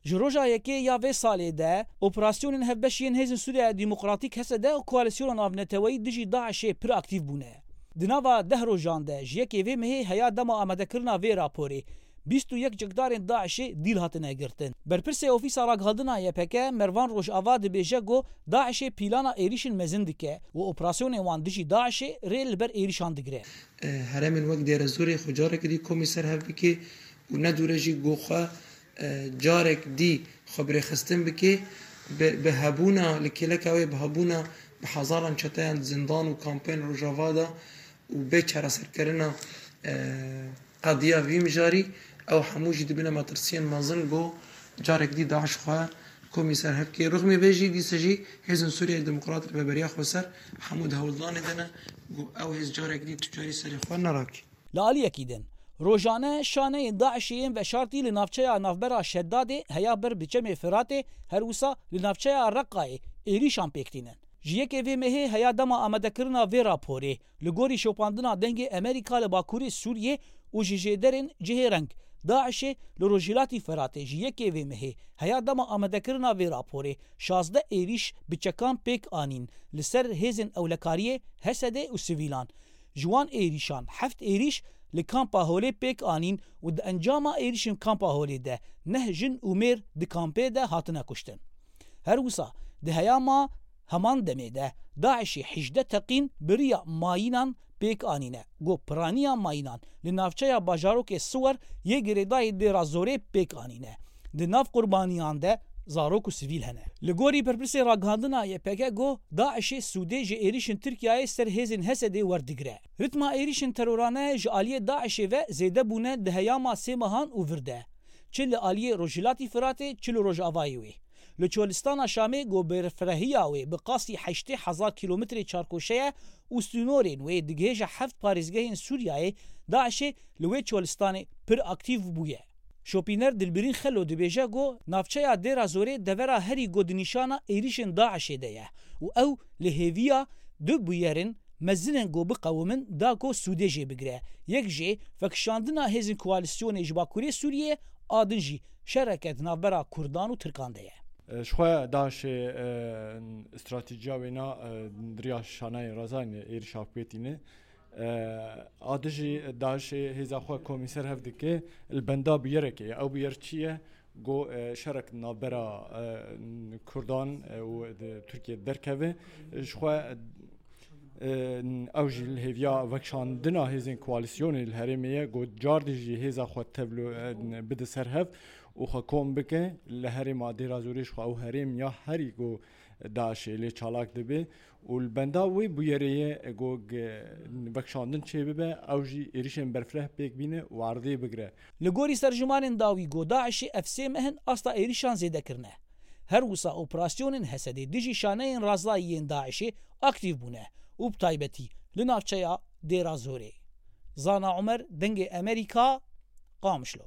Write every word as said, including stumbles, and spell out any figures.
Ji roja yekê ya vê salê de operasyonên hevbeş yên Hêzên Sûriya Demokratîk, H S D, û koalîsyona navneteweyî dijî DAIŞ'ê pir aktîf bûne. Di nava deh rojan de ji yekê vê mehê heya dema amadekirina vê raporê, bîst û yek çekdarên DAIŞ'ê dîl hatine girtin. Berpirsê Ofîsa Ragihandina Y P G, Mervan Rojava, dibêje ku DAIŞ'ê plana êrîşên mezin dike û operasyonên wan dijî DAIŞ'ê rê li ber êrîşan digire. Herêmên wek Dêrezorê xwe careke dî komî ser hev bike û ne dûre jî ku xwe, e, carek dî xwe bi rêxistin bike, bi, bi hebûna, li kêleka wê bi hebûna bi hezaran çeteyan di zindan û kampên Rojava de û bê çareserkirina, e, qediya vî mijarî, ew hemû jî dibine metirsiyên mezin ku carek dî DAIŞ xwe komî ser hev bike. Rixmê vê jî dîsa jî Hêzên Sûriyeyê Demokrat Rêveberiya Xweser hemû di hewldanê de ne ku ew hêz carek dî tu carî serê xwe nerake. Li aliyekî din, rojane şaneyên DAIŞ'ê yên veşartî li navçeya navbera Şedadê heya ber bi Çemê Firatê, her wisa li navçeya Reqayê êrîşan pêk tînin. Ji yekê vê mehê heya dema amadekirina vê raporê, li gorî şopandina Dengê Amerîka li Bakurê Sûriyê û ji jêderên cihê reng, DAIŞ'ê li Rojhilatî Firatê ji yekê vê mehê heya dema amadekirina vê raporê şazdeh êrîş bi çekan pêk anîn li ser hêzên ewlekariyê, H S D û sivîlan. Ji wan êrîşan heft êrîş li Kampa Holê pêk anîn û di encama êrîşên Kampa Holê de neh jin û mêr di kampê de hatine kuştin. Her wisa di heyama heman demê de DAIŞ'ê hejdeh teqîn bi riya mayînan pêk anîne, ku piraniya mayînan li navçeya bajarokê Siwer yê girêdayî Dêra Zorê pêk anîne. Di nav qurbaniyan de zarok û sivîl hene. Li gorî berpirsê ragihandina Y P G, ku DAIŞ'ê sûdê ji êrîşên Tirkiyeyê ser hêzên H S D'ê werdigire. Ritma êrîşên terorane ji aliyê DAIŞ'ê ve zêde bûne di heyama sê mehan û vir de. Çi li aliyê Rojhilatî Firatê, çi li Rojavayê wê. Li Çolistana Şamê, ku berfirehîya wê bi qasî heştê hezar kîlometrê çarkoşe ye û sînorên wê digihêje heft parêzgehên Sûriyeyê, DAIŞ'ê li wê çolistanê pir aktîf bûye. Şopîner Dilbirîn Xelo dibêje ku navçeya Dêra Zorê devera herî ku di nîşana êrîşên DAIŞ'ê de ye û ew li hêviya du bûyerên mezin in ku biqewimin da ku sûdê jê bigire. Yek jê vekişandina hêzên koalîsyonê ji Bakurê Sûriyê, a din jî şereke di navbera Kurdan û Tirkan de ye. Ji xwe DAIŞ'ê, e, stratejiya wêna, e, di riya şaneyên razayî êrîşa pêk tîne. E, a dijî DAIŞ'ê hêza xwe komî ser hev dike, li benda bûyerekê ye. Ew bûyer çi ye? Ku, e, şerek navbera, e, Kurdan, e, û di Tirkiyê derkeve. Ji xwe, e, ew jî li hêviya vekişandina hêzên koalîsyonê li herêmê ye. Ku cardî jî hêza xwe tevlo, e, bide ser hev û xwe kom bike. Li herêma Dêra Zorê ji xwe ew herêm ya herî ku DAIŞ'ê lê çalak dibe û li benda wê bûyerê ye ku vekişandin çêbibe, ew jî êrîşên berfireh pêk bîne û erdê bigire. Li gorî serjimanên dawî, ku DAIŞ'ê ev sê meh in asta êrîşan zêde kirine. Her wisa operasyonên H S D'ê dijî şaneyên razayî yên DAIŞ'ê aktîf bûne û bi taybetî li navçeya Dêra Zorê. Zana Omer, Dengê Amerîka, Qamişlo.